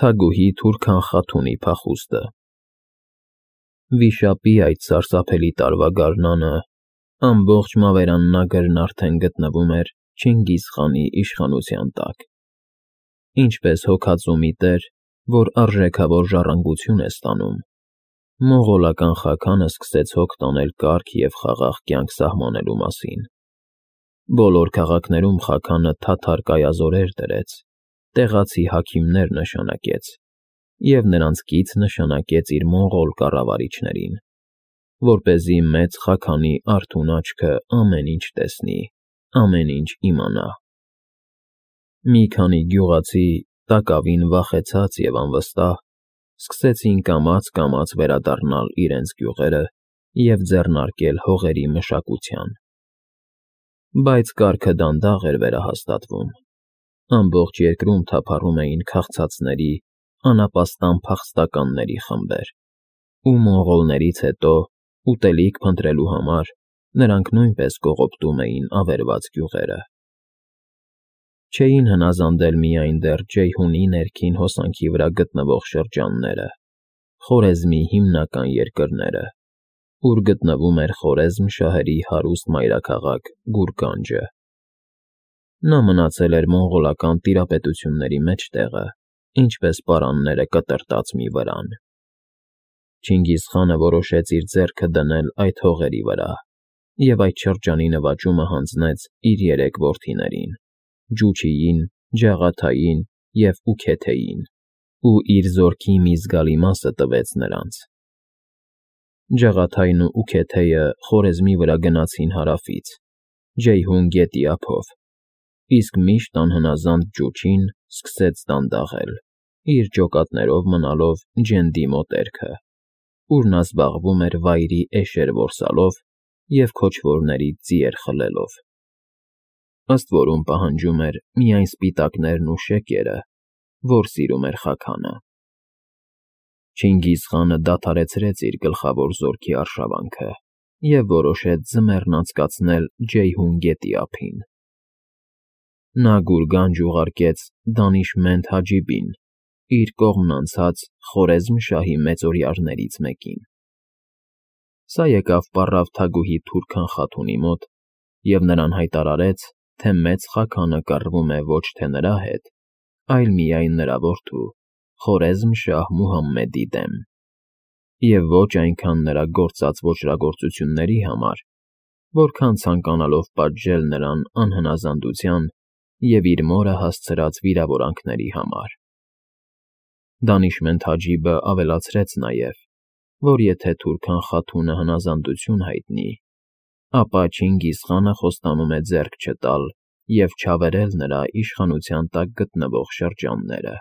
Թագուհի Թուրքան Խաթունի փախուստը։ Վիշապի այդ սարսափելի տարվա գարնանը ամբողջ Մավերաննագրն արդեն գտնվում էր Չինգիզ խանի իշխանության տակ։ Ինչպես հոգածու մի տեր, որ արժեքավոր ժառանգություն է ստանում, մոնղոլական Խաքանը սկսեց հոգ տանել կարգ և խաղաղ կյանք սահմանելու մասին։ Բոլոր քաղաքներում Խաքանը թաթար կայազորեր դրեց, տեղացի հաքիմներ նշանակեց և նրանց կից նշանակեց իր մոնղոլ կառավարիչներին, որպեսզի մեծ Խաքանի արթուն աչքը ամեն ինչ տեսնի, ամեն ինչ իմանա։ Մի քանի գյուղացի, տակավին վախեցած և անվստահ, սկսեցին կամաց վերադառնալ իրենց գյուղերը և ձեռնարկել հողերի մշակության։ Բայց կարգը դանդաղ էր վերահաստատվում։ Ամբողջ երկրում թափառում էին քաղցածների, անապաստան փախստականների խմբեր, ու մոնղոլներից հետո, ուտելիք փնտրելու համար, նրանք նույնպես կողոպտում էին ավերված գյուղերը։ Չէին հնազանդել միայն դեռ Ջեյհունի ներքին հոսանքի վրա գտնվող շրջանները, Խորեզմի հիմնական երկրները, ուր գտնվում էր Խորեզմ շահերի հարուստ մայրաքաղաք Գուրգանջը։ Նա մնացել էր մոնղոլական տիրապետությունների մեջտեղը, ինչպես պարանները կտրտած մի վրան։ Չինգիզ խանը որոշեց իր ձեռքը դնել այդ հողերի վրա և այդ շրջանի նվաճումը հանձնեց իր երեք որդիներին՝ Ջուչիին, Ջաղաթային և Ուքեթեին, ու իր զորքի մի զգալի մասը տվեց նրանց։ Ջաղաթային ու Ուքեթեը Խորեզմի վրա գնացին հարավից, Ջեյհուն գետի ափով, իսկ միշտ անհնազանդ Ջուչին սկսեց դանդաղել, իր ջոկատներով մնալով Ջենդի մոտերքը, ուր նա զբաղվում էր վայրի էշեր որսալով և քոչվորներից ձիեր խլելով։ Ըստ որում պահանջում էր միայն սպիտակներն ու շեկերը, որ սիրում էր Խաքանը։ Չինգիզ խանը դադարեցրեց իր գլխավոր զորքի արշավանքը և որոշեց ձմեռն անցկացնել Ջեյհուն գետի ափին։ Նա Գուրգանջ ուղարկեց Դանիշմենդ Հաջիբին, իր կողմն անցած Խորեզմ շահի մեծօրյաներից մեկին։ Սա եկավ պառավ թագուհի Թուրքան Խաթունի մոտ և նրան հայտարարեց, թե մեծ Խաքանը կռվում է ոչ թե նրա հետ, այլ միայն նրա որդու՝ Խորեզմ շահ Մուհամմեդի դեմ, և ոչ այնքան նրա գործած ոճրագործությունների համար, որքան ցանկանալով պատժել նրան անհնազանդության և իր մորը հասցրած վիրավորանքների համար։ Դանիշմենդ Հաջիբը ավելացրեց նաև, որ եթե Թուրքան Խաթունը հնազանդություն հայտնի, ապա Չինգիզ խանը խոստանում է ձեռք չտալ և չավերել նրա իշխանության տակ գտնվող շրջանները։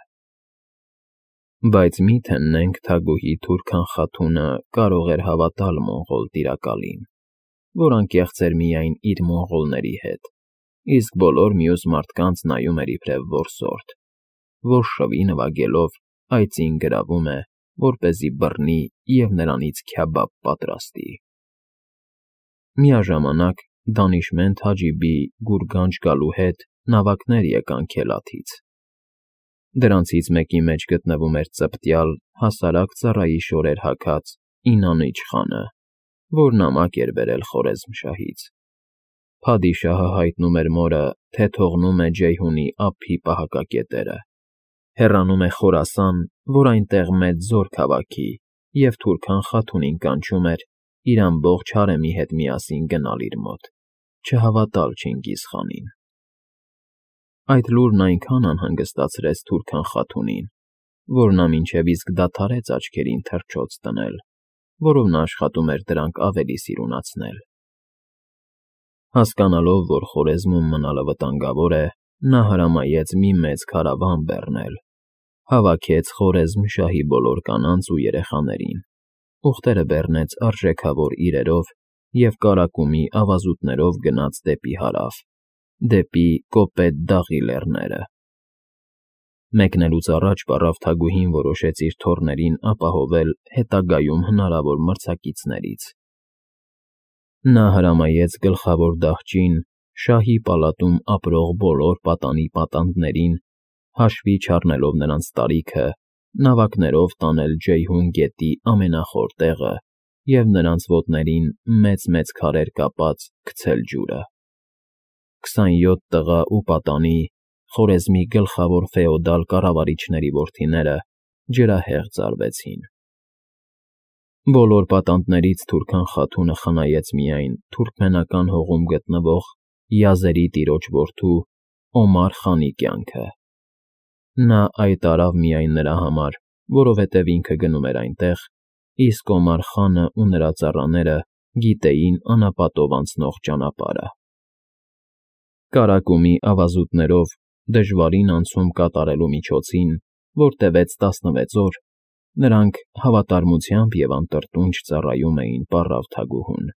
Բայց մի՛ թեննենք թագուհի Թուրքան Խաթունը կարող էր հավատալ մոնղոլ տիրակալին, որ անկեղծ էր միայն իր մոնղոլների հետ, իսկ բոլոր մյուս մարդկանց նայում էր իբրև որսորդ, որ շվի նվագելով այծին գրավում է, որպեսզի բռնի և նրանից քյաբաբ պատրաստի։ Միաժամանակ Դանիշմենդ Հաջիբի Գուրգանջ գալու հետ նավակներ եկան Քելաթից։ Դրանցից մեկի մեջ գտնվում էր ծպտյալ, հասարակ ծառայի շորեր հագած Ինանիչ խանը, որ նամակ էր բերել Խորեզմ շահից։ Փադիշահը հայտնում էր մորը, թե թողնում է Ջեյհունի ափի պահակակետերը, հեռանում է Խորասան, որ այնտեղ մեծ զոր քաղաքի, և Թուրքան Խաթունին կանչում էր իր ամբողջ հարեմի հետ միասին գնալ իր մոտ, չհավատալ Չինգիզ խանին։ Այդ լուրն այնքան անհանգստացրեց Թուրքան Խաթունին, որ նա մինչև իսկ դադարեց աչքերին թռչոց դնել, որով նա աշխատում էր դրանք ավելի սիրունացնել։ Հասկանալով, որ Խորեզմում մնալը վտանգավոր է, նա հրամայեց մի մեծ քարավան բեռնել, հավաքեց Խորեզմ շահի բոլոր կանանց ու երեխաներին, ուղտերը բեռնեց արժեքավոր իրերով և կարակումի ավազուտներով գնաց դեպի հարավ, դեպի Կոպետ Դաղի լեռները։ Մեկնելուց առաջ պառավ թագուհին որոշեց իր թոռներին ապահովել հետագայում հնարավոր մրցակիցներից։ Նա հրամայեց գլխավոր դահճին, շահի պալատում ապրող բոլոր պատանի պատանդներին, հաշվի չառնելով նրանց տարիքը նավակներով տանել Ջեյհուն գետի ամենախոր տեղը և նրանց ոտներին մեծ-մեծ քարեր կապած գցել ջուրը։ 27 տղա ու պատանի, Խորեզմի գլխավոր ֆեոդալ կառավարիչների որդիները ջրահեղ ծարվեցին։ Բոլոր պատանդներից Թուրքան Խաթունը խնայեց միայն թուրքմենական հողում գտնվող Յազերի տիրոջ որդու Օմար խանի կյանքը։ Նա այդ արավ միայն նրա համար, որովհետև ինքը գնում էր այնտեղ, իսկ Օմար խանը ու նրա ծառաները գիտեին անապատով անցնող ճանապարհը։ Կարակումի ավազուտներով դժվարին անցում կատարելու միջոցին, որ տևեց 16 օր, նրանք հավատարմությամբ և անտրտունջ ծառայում էին պառավ թագուհուն։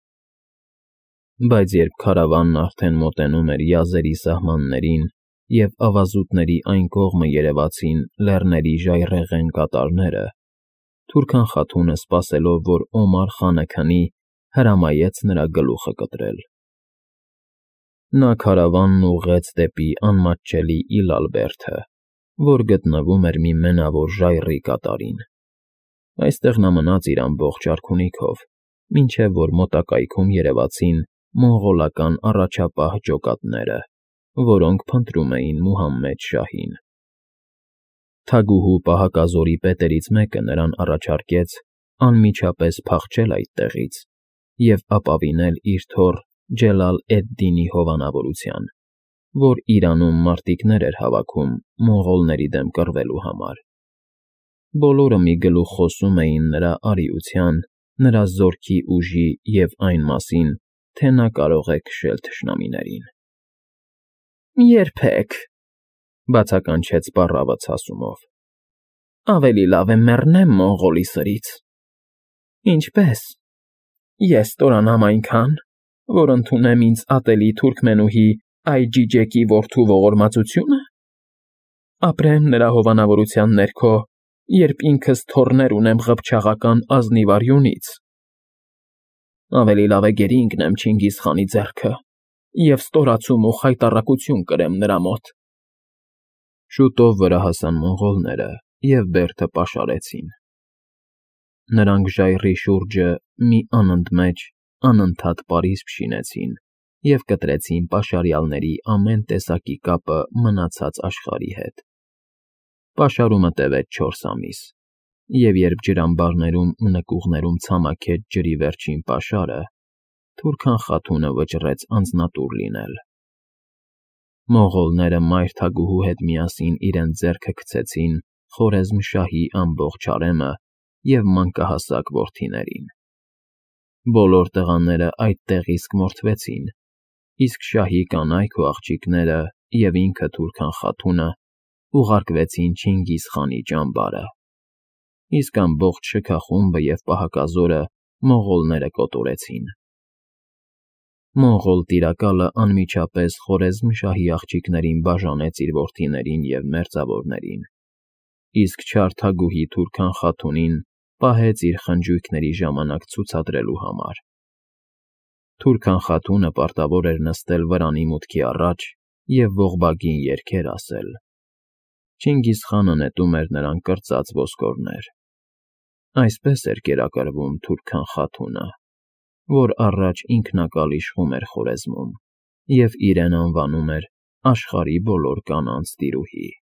Բայց երբ քարավանն արդեն մոտենում էր Յազերի սահմաններին և ավազուտների այն կողմը երևացին լեռների ժայռերն կատարները, Թուրքան Խաթունը, սպասելով, որ Օմար խանը քնի, հրամայեց նրա գլուխը կտրել։ Նա քարավանն ուղղեց դեպի անմատչելի Իլալբերդը, որ գտնվում էր մի մենավոր ժայռի կատարին։ Այստեղ նա մնաց իր ամբողջ արքունիքով, մինչև որ մոտակայքում երևացին մոնղոլական առաջապահ ջոկատները, որոնք փնտրում էին Մուհամմեդ շահին։ Թագուհու պահակազորի պետերից մեկը նրան առաջարկեց անմիջապես փախչել այդտեղից և ապավինել իր թոռ Ջելալ էդ֊Դինի հովանավորության, որ Իրանում մարտիկներ էր հավաքում մոնղոլների դեմ կռվելու համար։ Բոլորը մի գլուխ խոսում էին նրա արիության, նրա զորքի ուժի և այն մասին, թե նա կարող է քշել թշնամիներին։ «Երբեք,֊ բացականչեց պառավը ցասումով,֊ ավելի լավ է մեռնեմ մոնղոլի սրից»։ «Ինչպե՞ս։ Ես ստորանամ այնքան, որ ընդունեմ ինձ ատելի թուրքմենուհի Այջիջեկի որդու ողորմածությո՞ւնը։ Ապրեմ նրա հովանավորության ներքո, երբ ինքս թոռներ ունեմ ղփչաղական ազնիվ արյունից։ Ավելի լավ է գերի ընկնեմ Չինգիզ խանի ձեռքը և ստորացում ու խայտառակություն կրեմ նրա մոտ»։ Շուտով վրա հասան մոնղոլները և բերդը պաշարեցին։ Նրանք ժայռի շուրջը մի անընդմեջ, անընդհատ պարիսպ շինեցին և կտրեցին պաշարյալների ամեն տեսակի կապը մնացած աշխարհի հետ։ Պաշարումը տևեց 4 ամիս, և երբ ջրամբարներում ու նկուղներում ցամաքեց ջրի վերջին պաշարը, Թուրքան Խաթունը վճռեց անձնատուր լինել։ Մոնղոլները մայր թագուհու հետ միասին իրենց ձեռքը գցեցին Խորեզմշահի ամբողջ հարեմը և մանկահասակ որդիներին։ Բոլոր տղաները այդտեղ իսկ մորթվեցին, իսկ շահի կանայք ու աղջիկները և ինքը Թուրքան Խաթունը ուղարկվեցին Չինգիզ խանի ճամբարը, իսկ ամբողջ շքախումբը և պահակազորը մոնղոլները կոտորեցին։ Մոնղոլ տիրակալը անմիջապես Խորեզմշահի աղջիկներին բաժանեց իր որդիներին և մերձավորներին, իսկ չար թագուհի Թուրքան Խաթունին պահեց իր խնջույքների ժամանակ ցուցադրելու համար։ Թուրքան Խաթունը պարտավոր էր նստել վրանի մուտքի առաջ և ողբագին երգեր ասել։ Չինգիզ խանը նետում էր նրան կրծած ոսկորներ։ Այսպես էր կերակրվում Թուրքան Խաթունը, որ առաջ ինքնակալ իշխում էր Խորեզմում և իրեն անվանում էր աշխարհի բոլոր կանանց տիրուհի։